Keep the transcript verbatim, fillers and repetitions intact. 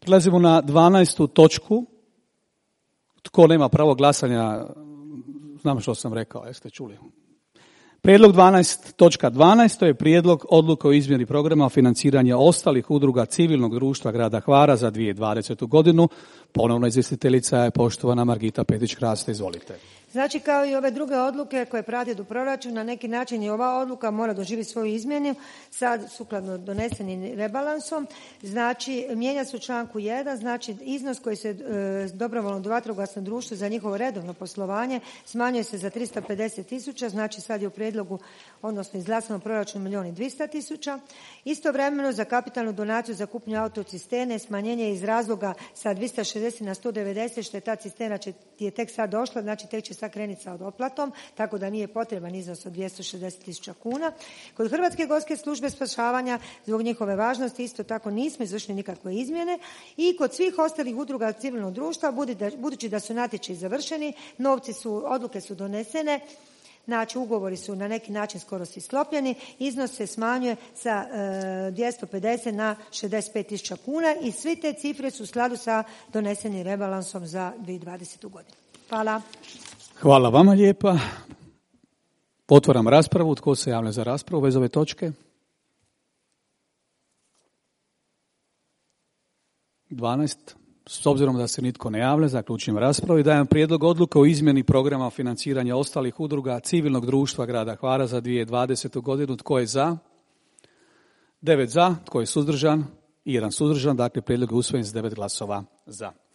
Prelazimo na dvanaestu točku. Tko nema pravo glasanja, znam što sam rekao, jeste čuli. Prijedlog dvanaest točka dvanaest, to je prijedlog odluke o izmjeni programa financiranja ostalih udruga civilnog društva grada Hvara za dvije tisuće dvadesetu godinu. Ponovno izvjestiteljica je poštovana Margita Petić-Kraste, izvolite. Znači, kao i ove druge odluke koje prate do proračuna, na neki način i ova odluka mora doživjeti svoju izmjenu, sad sukladno donesenim rebalansom. Znači, mijenja se u članku jedan, znači iznos koji se e, dobrovoljno vatrogasno društvo za njihovo redovno poslovanje smanjuje se za tristo pedeset tisuća, znači sad je u prijedlogu, odnosno izglasanom proračunu milijun i dvjesto tisuća. Istovremeno za kapitalnu donaciju za kupnju autocisterne smanjenje iz razloga sa dvjesto šezdeset na sto devedeset, što je ta cisterna će, je tek sad došla, znači tek će sad krenuti sa odoplatom, tako da nije potreban iznos od dvjesto šezdeset tisuća kuna. Kod Hrvatske gorske službe spašavanja, zbog njihove važnosti, isto tako nismo izvršili nikakve izmjene i kod svih ostalih udruga civilnog društva, budući da su natječaji završeni, novci su, odluke su donesene, znači ugovori su na neki način skoro svi sklopljeni, iznos se smanjuje sa e, dvjesto pedeset na šezdeset pet tisuća kuna i svi te cifre su u skladu sa donesenim rebalansom za dvije tisuće dvadesetu godinu. Hvala. Hvala vama lijepa. Otvaram raspravu. Tko se javlja za raspravu bez ove točke? dvanaest. S obzirom da se nitko ne javlja, zaključujem raspravu i dajem prijedlog odluke o izmjeni programa financiranja ostalih udruga civilnog društva grada Hvara za dvije tisuće dvadesetu godinu. Tko je za? Devet za. Tko je suzdržan? I jedan suzdržan. Dakle, prijedlog je usvojen s devet glasova za.